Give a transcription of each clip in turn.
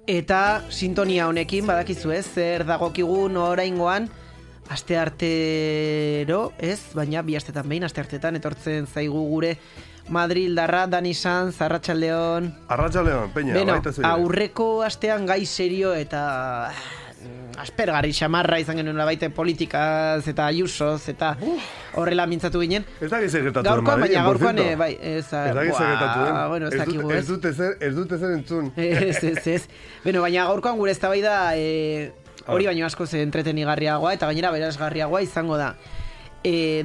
Eta sintonia honekin badakizu ez, zer dagokigun oraingoan asteartero, ez, baina bi astetan behin asteartetan etortzen zaigu gure Madrildarra, Dani Sanz, Arratsaldeon. Arratsaldeon, Peña, Beno, baita zuire. aurreko astean gai serio eta aspergarri xamarra izan genuen baita politikaz eta Ayusoz eta horrela mintzatu ginen. Ez da gizek gertatu Gaurkoan, baina gaurkoan, bai, ez da gizek gertatu bueno, ez dakigu, ez? Ez dute zer entzun. Ez. Beno, baina gaurkoan gure eztabaida hori baino asko ze entretenigarriagoa eta gainera berazgarriagoa izango da.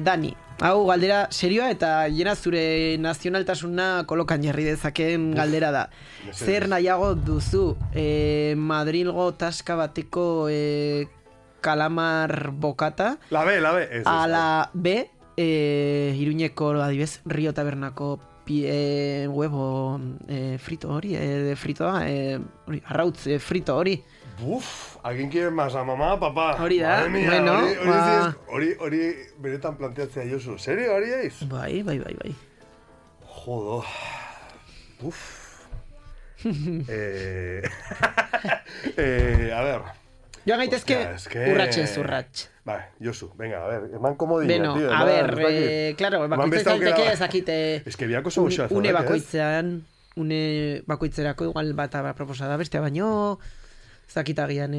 Dani, hau galdera serioa eta jena zure nazionaltasuna kolokan jarri dezakeen galdera da. Zer nahiago duzu Madrilgo taska bateko kalamar bokata? La B, ez. Ala B, Iruñeko, adibez, Rio Tabernako huevo frito hori, fritoa, arrautz frito hori. Buf, ¿alguien quiere más a mamá, papá? Hori da, bueno, hori benetan planteatzea Josu. Serio, hori eiz? Bai. Jodo. Uf. A ver. Joan gaitezke urratxez urratx. Bai, Josu, venga, a ver, eman komodina, Beno, tío. A ver, claro, bakoitzak ezakite Es que biako zo goxoa. Une bakoitzean, une bakoitzerako igual bata proposada bestea baino, zakitagian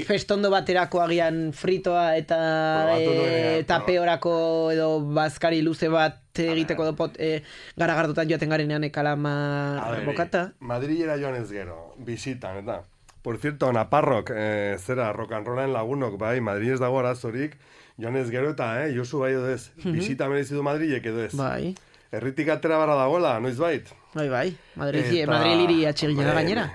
festondo baterako agian fritoa eta peorako edo bazkari luze bat egiteko garagardotan joaten garenean kalamar bokata. Madrilera joan ez gero, bizitan, eta por cierto, Naparrok, zera rock and rollen lagunok, bai, Madrid ez dago arazorik, joan ez gero eta, Josu bai edo ez, bizita merezidu Madrilek edo ez. Bai. Erritik atera barra dagoela, noiz bait? Bai. Madrid hiri atxegina da gainera.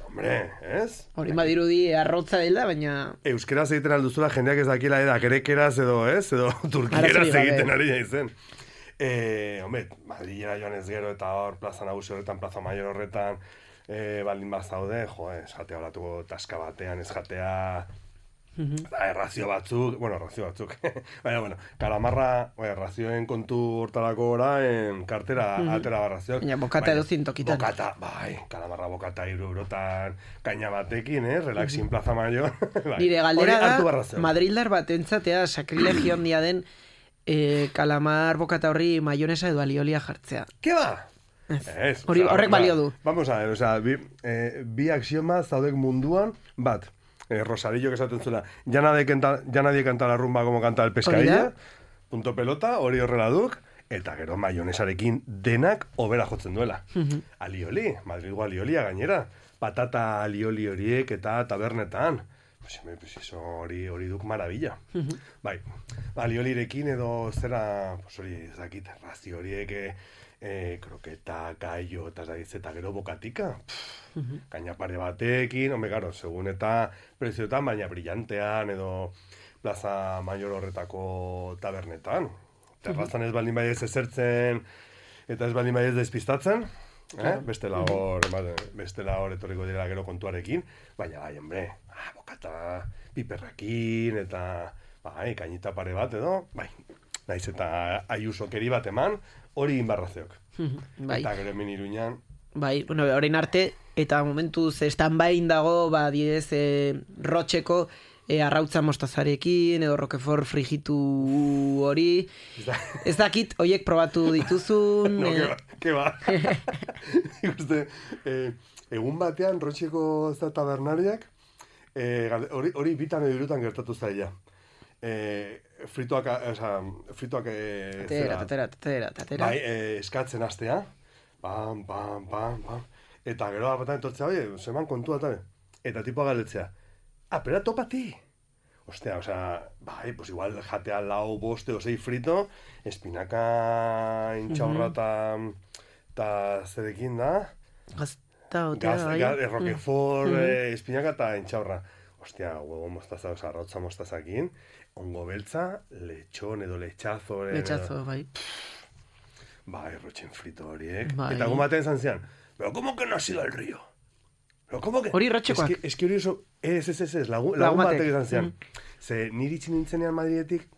Hombre, ez? Hori badirudi arrotza dela, baina... Euskeraz egiten alduzula jendeak ez dakila kerekeraz edo, ez? Edo turkieraz egiten ari izen. Hombre, Madrilera joan ez gero eta hor plaza nagusi horretan, plaza mayor horretan, baldin bazaude, esatea olatuko taska batean, ez jatea... Razio batzuk, baina, kalamarra, razioen kontu hortarako orain kartera atera barrazioak. Baina, bokata edo zintokitan. Bokata, kalamarra bokata 3 eurotan, kaina batekin, relaxin plaza mayor. Nire galdera da, Madrildar bat entzatea sakrilegio handia den kalamar bokata horri maionesa edo aliolia jartzea. Ke ba? Horrek balio du. Vamos a ver, bi axioma zaudek munduan, bat, Rosarillo que esaten zuela, ya nadie canta la rumba como canta el pescadilla, punto pelota, hori horrela duk, eta gero maionesarekin denak obera jotzen duela. Alioli, Madrilgo aliolia gainera, patata alioli horiek eta tabernetan. Pues eso hori duk maravilla. Bai, aliolirekin edo zera, pues hori ez dakit, razio horiek, kroketa, gallo, eta gero bokatika. Kaina pare batekin, hombre, claro, segun eta prezioetan, baina brillantean edo plaza mayor horretako tabernetan. Terrazan ez baldin baiez ezertzen eta ez baldin baiez despistatzen, bestela hor etorriko direla gero kontuarekin, baina bai, hombre, bokata piperrakin eta kainita pare bat edo, bai, naiz eta Ayusokeri bat eman, hori inbarrazeok. Eta gero hemen Iruñan. Bai, bueno, orain arte, eta momentuz stand-by dago, didez, rotxeko arrautza mostazarekin, edo Roquefort frigitu hori. Ez dakit, hoiek probatu dituzun. No, ke ba. Ikuste, egun batean, rotxeko tabernariak, hori bitan edo irutan gertatu zaila. Frituak tatera. Bai, eskatzen astea. Pam. Eta gero bat entortzea, zeman kontua eta tipoa galetzea. Pero topa ti. Ostea, bai, pues igual jatea 4, 5 o 6 frito, espinaka intxaurra eta zerekin da. Roquefort, espinaka eta intxaurra. Ostia, huevo mostaza, arrotza mostazakin, ongo beltza, lechon edo lechazo. Lechazo, bai. Bai, rotxen frito horiek. Eta gumaten zan zian, pero ¿cómo que no has ido al río? Pero ¿cómo que? Hori rotxekoak. Es que hori oso, lagun batek izan zian. Ze niri nintzen Madridetik,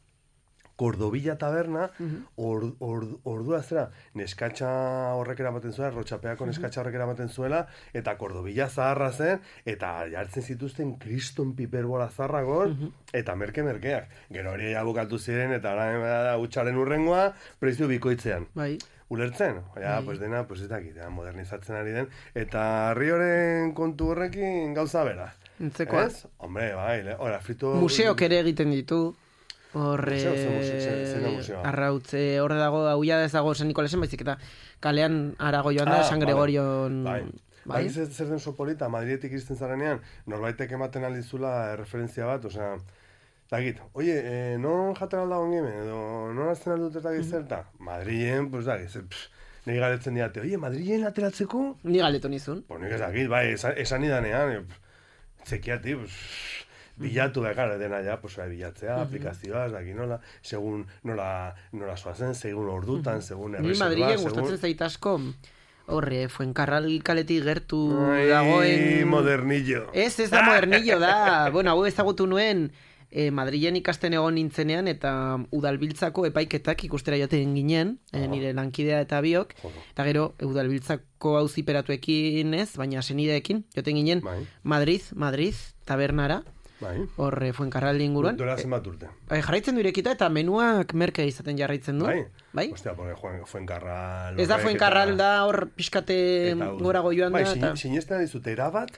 Kordobilla taberna, ordua zera, neskatxa horrek eramaten zuela, Rotxapeako neskatxa horrek eramaten zuela, eta Kordobilla zaharra zen, eta jartzen zituzten kriston piperbola zarragor, eta merkeak. Gero hori abukatu ziren, eta ara hutsaren urrengoa, prezio bikoitzean. Bai. Ulertzen? Ja, pues dena, pues ez dakit, modernizatzen ari den, eta Rioren kontu horrekin gauza bera. Entzekoa. Ez? Hombre, bai, ora, frito... Museok ere egiten ditu. Horre... Arrautze, horre dago, hauia ez dago San Nikolesen, baizik eta kalean arago joan da, San Gregorion... Bai, zer den sopolita, Madridetik iristen zarenean, norbaitek ematen aldizula referentzia bat, osea... Dakit, oie, non jaten alda ongimen, edo non azten aldut eta gizerta? Madrilen, pues dakit, nire galetzen diate, oie, Madrilen ateratzeko? Ni galetu nizun. Pues nik ez dakit, bai, esan idanean, txekiati, bilatu da, gara, dena ja, pues, bilatzea, aplikazioa, ez dakit nola, segun nola zoazen, segun ordutan, segun erreserba, ni Madrilen gustatzen zait asko, horre, Fuencarral kaletik gertu dagoen... Modernillo. Ez da modernillo, da, bueno, hau ezagutu nuen, Madrilen ikasten egon nintzenean eta udalbiltzako epaiketak ikustera joaten ginen, nire lankidea eta biok, eta gero udalbiltzako auziperatuekin ez, baina senideekin, joaten ginen Madrid, tabernara, hor Fuencarral inguruan. Dola zenbat urte. Jarraitzen du irekita eta menuak merke izaten jarraitzen du. Bai? Ostia, porque Fuencarral... Ez da Fuencarral da hor pixkate gorago joan da. Bai, sinesten dizute erabat,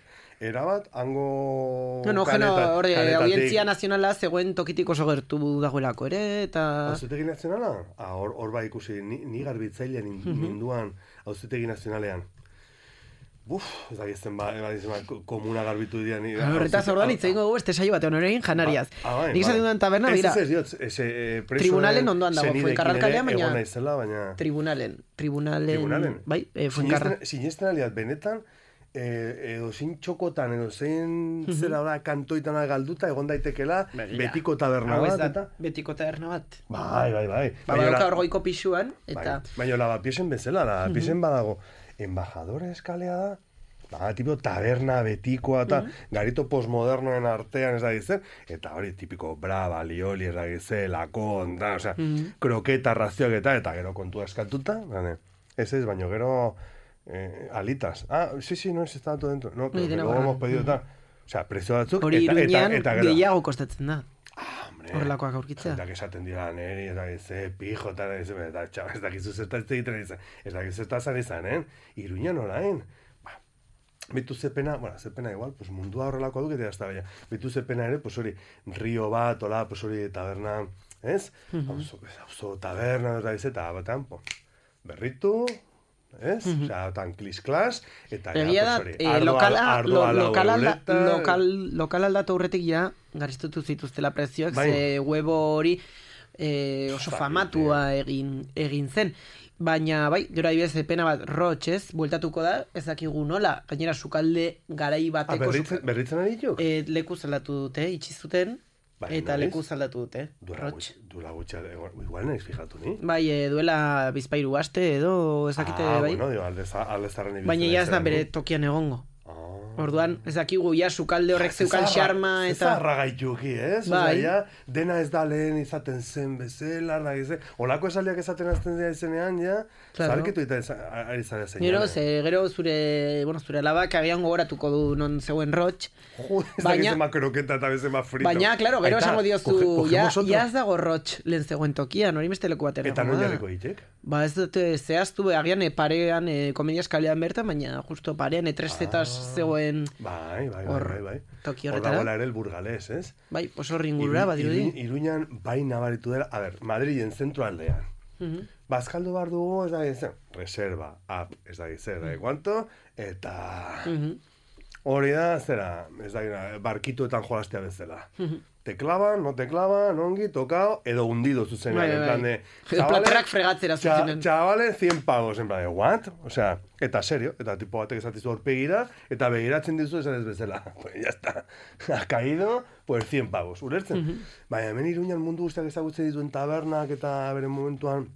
hango... No, audientzia nazionala zegoen tokitik oso gertu dagoelako ere, eta... Auzitegi nazionala? Hor bai ikusi, ni garbitzailean ninduan auzitegi nazionalean. Ez da gizten komuna garbitu dian. Horretaz orduan hitz egingo dugu este saio batean horrein janariaz. Nik esaten duen taberna, bera. Tribunalen ondoan dago, Fuencarral kalean, baina... Tribunalen, bai, Fuencarral. Sinesten aliat, benetan, edo zein txokotan, edo zein zera da kantoitan galduta, egon daitekela betiko taberna bat. Betiko taberna bat. Bai. Baina orgoiko pixuan, eta... Baina lavapiesen bezala, lavapiesen badago. Embajadores kalea da, tipo taberna betikoa eta garito postmodernoen artean ez da gizen, eta hori tipiko brava, lioli ez da gizen, lakon, da, osea, kroketa, razioak eta gero kontua eskatuta, ez, baina gero alitas. Sí, no, ez está todo dentro. No, pero luego hemos pedido tal. Osea, prezio batzuk, hori Iruñean gehiago kostatzen da. Horrelakoak aurkitzea. Eta esaten dira neri, eta pijo, eta ez dakizu zerta ez egiten izan. Ez dakizu zerta zan izan, Iruñan orain. Bitu zepena, igual, pues mundua horrelakoa duk, eta jazta, baina. Bitu zepena ere, pues hori, rio bat, hola, pues hori, taberna, ez? Hauzo taberna, eta batean, berritu, ez? Osea, tan klis-klas, eta ja, pues hori, lokal aldatu horretik ja, garriztutu zituztela prezioak, ze huevo hori oso famatua egin zen. Baina, bai, gero adibidez pena bat Roches, bueltatuko da, ez dakigu nola, gainera sukalde garai bateko... Berritzen ari juk? Leku zaldatu dute, itxizuten, eta leku zaldatu dute, Roche. Duela gutxa, igual nahiz fijatu ni? Bai, duela bizpairu aste edo, ez dakite, bai? Bueno, aldezarren ibiltzen. Baina ja ez da bere tokian egongo. Orduan, ez dakigu, ja, sukalde horrek zeukan xarma, eta... Zarra gaituki, ez? Bai. Oza, dena ez da lehen izaten zen bezala, olako esaldiak esaten azten dira izenean, ja, zarkitu eta ari zara zein. Gero zure alabak agian gogoratuko du non zegoen Roche. Ez da gizema kroketa eta bezema frito. Baina, klaro, gero esango diozu, ja ez dago Roche lehen zegoen tokian, hori beste leku batera. Eta non jarriko ditek? Ba, ez dute zehaztu, agian parean, komedias kalean bertan, baina justo parean, etrezetas zegoen Bai. Toki horretara. Hor dagoela ere el burgalés, ez? Bai, oso ringurura, badirudi. Iruñan bai nabaritu dela, Madrilen zentroaldean. Bazkaldu bar dugu, ez da gizen, reserva, app, ez da gizen, guanto, eta hori da, zera, ez da gizen, barkituetan jolastea bezala. Te clavan, no te clavan, ongi, tocao, edo hundido zuzenean, en plan de... Platerrak fregatzera zuzenen. Chavales, 100 pavos, en plan de, what? Osea, eta serio, eta tipo batek esatizu horpegira, eta begiratzen dizu esan ez bezala. Pues ya está, ha caído, pues 100 pavos, ulertzen? Baina, hemen Iruñan mundu guztiak ezagutzen dituen tabernak, eta beren momentuan,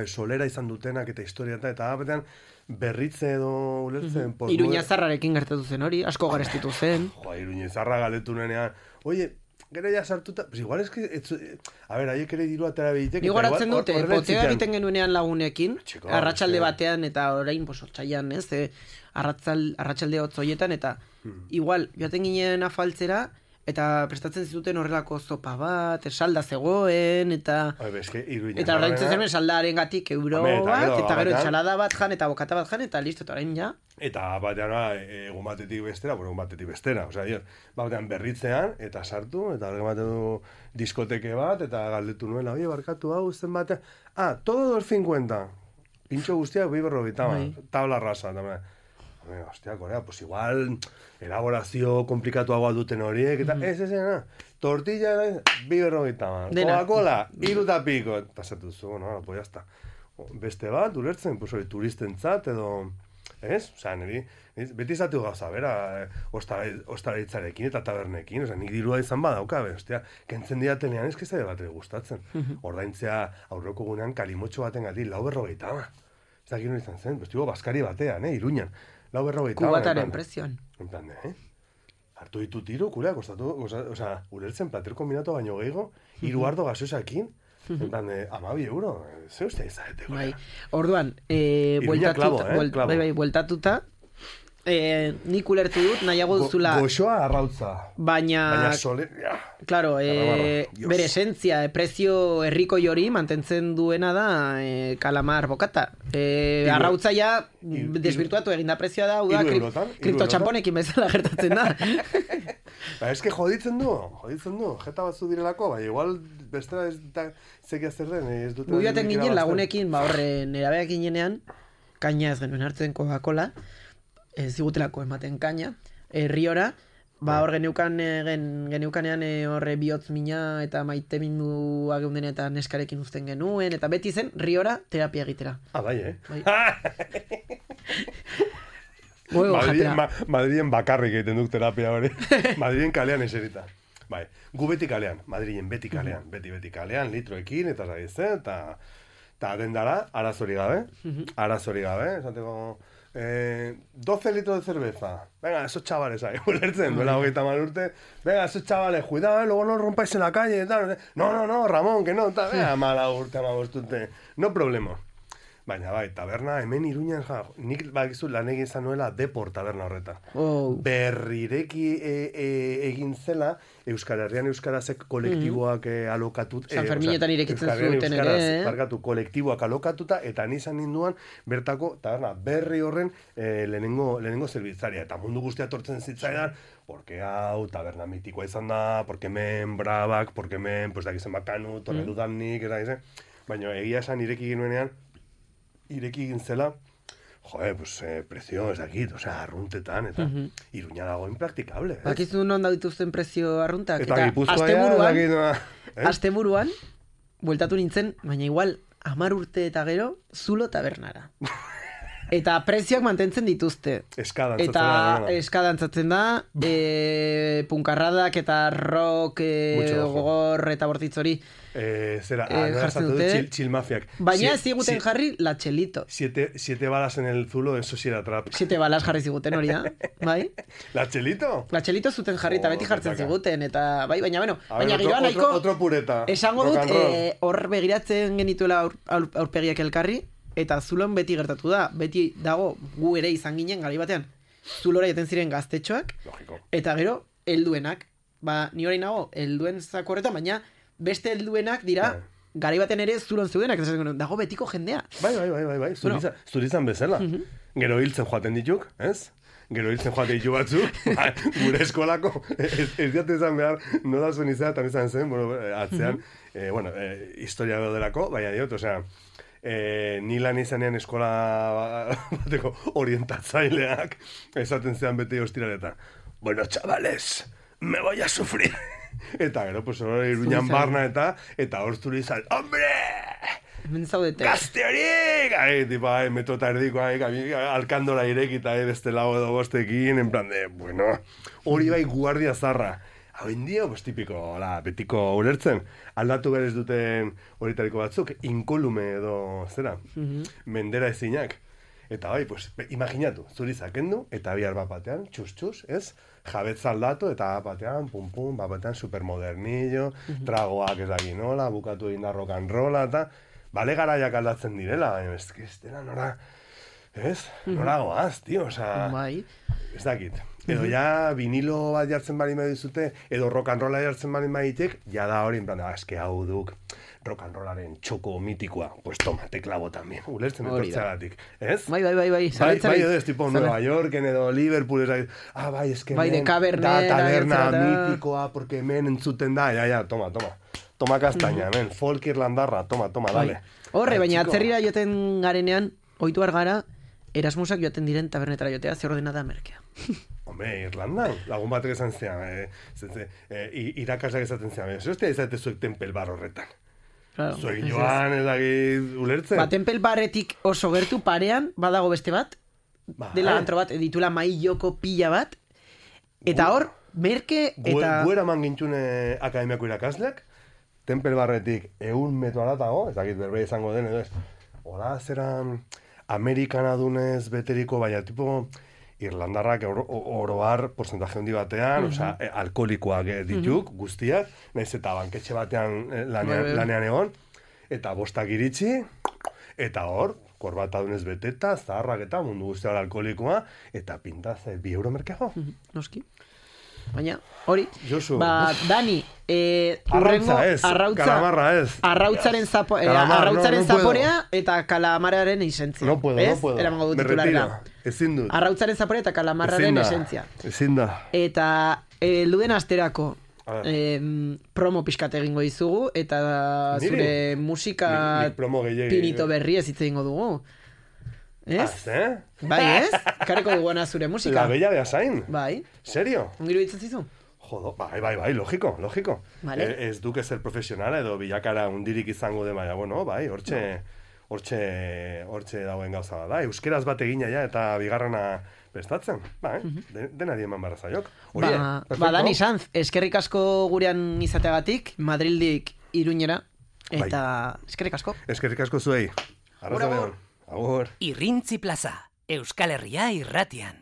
solera izan dutenak, eta historia eta apetean, berritze edo ulertzen... Iruña zarrarekin gertatu zen hori, asko garestitu zen. Iruña zarra galdetu nenean, oye, gero ja sartuta, pues igual es que, a ver, haiek ere diru atera behitek. Ni goratzen dute, potea egiten genuenean lagunekin, Txiko, arratsalde batean, eta orain, otsailan, ez, arratsalde hotzoietan, eta igual, joaten ginen afaltzera, eta prestatzen zuten horrelako zopa bat, salda zegoen, eta ordaintzen zen saldaren gatik euro bat, eta gero entsalada bat jan, eta bokata bat jan, eta listo, eta orain ja. Eta batean, egun batetik bestera, osea, batean berritzean, eta sartu, eta horrek bateu diskoteke bat, eta galdetu nuela, oie, barkatu hau, zen batean, todo 250, pintxo guztiak 250, tabla rasa, también. Hostia, Korea, pues igual elaborazio komplikatuagoa duten horiek, eta tortilla, 250, Coca-Cola, 3 eta piko, eta zatu zu, no, pues ya está. Beste bat, ulertzen, pues hori turistentzat, edo, ez? Osea, beti izatu gauza, bera, ostalaritzarekin eta tabernekin, osea, nik dirua izan badauka, ostia, kentzen diatenean ez kezade bat gustatzen. Ordaintzea aurreko gunean kalimotxo baten gati, 4,50. Ez dakit non izan zen, bestigo Baskari batean, Iruñan. 4,50. Kubataren prezioan. En plan, hartu ditu tiro, kulea, kostatu, osea, ulertzen plater kombinato baino gehiago, 3 ardo gasosakin, en plan, 12 euro, ze ustea izateko. Bai, orduan, bueltatuta, nik ulertu dut, nahiago duzula... Goxoa arrautza. Baina sole... Claro, bere esentzia, prezio herriko jori mantentzen duena da kalamar bokata. Arrautza ja desbirtuatu eginda prezioa da, kriptotxamponekin bezala gertatzen da. Ez que joditzen du, jeta batzu direlako, bai, igual bestera ez da zekia zer den, ez dute... Guiaten ginen lagunekin, horre nerabeak ginenean, kaina ez genuen hartzen Coca-Cola, ez zigutelako ematen kaina, Riora, hor geneukanean horre bihotz mina eta maite mindua geunden eta neskarekin uzten genuen, eta beti zen Riora terapia egitera. Bai, Madriden bakarrik egiten duk terapia hori. Madriden kalean eserita. Bai, gu beti kalean, Madriden beti kalean, beti kalean, litroekin, eta zaitzen, eta dendara, arazori gabe, esateko... 12 litros de cerveza. Venga, esos chavales ahí, ulertzen, duela 30 urte. Venga, esos chavales, cuidado, luego no rompáis en la calle, tal. No, Ramón, que no, tal. Venga, mala urte, urte. No problema. Baina, bai, taberna, hemen Iruñan, nik bakizu lan egin izan nuela Depor taberna horreta. Berrireki egin zela, Euskal Herrian Euskarazek kolektiboak alokatut. San Ferminetan irekitzen zuten ere. Barkatu, kolektiboak alokatuta, eta nizan ninduan bertako taberna berri horren lehenengo zerbitzaria. Eta mundu guztia tortzen zitzaidan, porque hau taberna mitikoa izan da, porque men brabak, porque men, pues dakizen bakanu, torre dudanik, eta gizien. Baina egia esan ireki egin zela, pues prezio ez dakit, osea, arruntetan, eta Iruña dago impraktikable. Bakizu non da dituzten prezio arruntak, eta asteburuan, bueltatu nintzen, baina igual, 10 urte eta gero, Zulo tabernara. Eta prezioak mantentzen dituzte. Eskadantzatzen da, punkarradak eta rock, gogor eta bortitz hori. Jartzen dute. Chill mafiak. Baina ez ziguten jarri la Chelito. 7 balas en el Zulo, eso sí era trap. 7 balas jarri ziguten hori da, bai? La Chelito? La Chelito zuten jarri eta beti jartzen ziguten, eta bai, baina giroan nahiko... Otro pureta. Esango dut, hor begiratzen genituela aurpegiak elkarri, eta Zulon beti gertatu da, beti dago gu ere izan ginen gari batean. Zulora jeten ziren gaztetxoak, eta gero, helduenak. Ni hori nago, helduen zako horretan, baina beste helduenak dira, gari baten ere Zulon zeudenak, dago betiko jendea. Bai, zurizan bezala. Gero hiltzen joaten dituk, ez? Gero hiltzen joaten ditu batzu, gure eskolako, ez diaten izan behar, nola zuen izan, eta izan zen, atzean, historia delako, baina diot, osea, ni lan izanean eskola bateko orientatzaileak esaten zean beti hostiraletan. Bueno, chavales, me voy a sufrir. Eta gero, pues hori Iruñan barna eta hor zuri izan, hombre! Gazte horiek! Tipa, metro eta erdiko, alkandola irekita, beste lau edo bostekin, en plan de, bueno, hori bai guardia zarra. Hau indio, pues tipiko, betiko ulertzen, aldatu berez duten horitariko batzuk, inkolume edo, zera, mendera ezinak. Eta bai, pues, imaginatu, zuri zakendu, eta bihar bat batean, txus, ez? jabetza aldatu, eta batean, pum, batean supermodernillo, tragoak ez daki nola, bukatu egin da rock and rolla, eta bale garaiak aldatzen direla, baina ez dela nora, ez? Nora goaz, tio, oza, ez dakit. Edo ja vinilo bat jartzen bali medizute, edo rock and rolla jartzen bali meditek, ja da hori, en plan, eske hau duk, rock and rollaren txoko mitikoa, pues toma, te clavo también, ulertzen etortzeagatik, ez? Bai, bai, edo ez, tipo Nueva Yorken edo Liverpool, bai, eske bai, de Cabernet, da taberna mitikoa, porque men entzuten da, ja, toma kastaina, men, folk irlandarra, toma, dale. Horre, baina atzerrira joten garenean, ohitu gara, Erasmusak joaten diren tabernetara jotea, zer ordena da merkea. Hombre, Irlandan, lagun batek esan zean, irakasak esaten zean, ez hostia izate zuek tempel bar horretan. Zuek joan, ulertzen. Tempel barretik oso gertu parean, badago beste bat, dela antro bat, ditula mai joko pila bat, eta hor, merke, eta... Guera man gintxune akademiako irakasleak, tempel barretik 100 metro aratago, ez dakit berbei izango den, edo ez, hola, zeran... Amerikana dunez beteriko, baina tipo irlandarrak oroar porcentaje handi batean, alkoholikoak dituk, guztiak, nahiz eta banketxe batean lanean egon, eta bostak iritsi, eta hor, korbata dunez beteta, zaharrak eta mundu guztia alkoholikoa, eta pintaz 2 euro merkeago. Noski. Baina, hori, Josu. Dani, arrautza ez, kalamarra ez. Arrautzaren zaporea eta kalamararen esentzia. No puedo. Eramango dut me titularra. Ezin dut. Arrautzaren zaporea eta kalamarraren esentzia. Ezin da. Eta luden asterako promo pixkat egingo dizugu, eta zure musika pinito berri ez hitz egingo dugu. Ez? Bai, ez? Kareko duguana zure musika. La Bella de Asain? Bai. Serio? Ongiru ditzen zizu? Jodo, bai, logiko. Vale. Ez duke ser profesional edo bilakara undirik izango de baina, bueno, bai, hortxe dauen gauza da. Euskeraz bat egina ja eta bigarrena prestatzen. Bai, denari eman barra zaiok. Dani Sanz, eskerrik asko gurean izateagatik, Madrildik Iruñera, eta eskerrik asko. Eskerrik asko zuei. Arraza leon. Agur. Irrintzi Plaza, Euskal Herria irratian.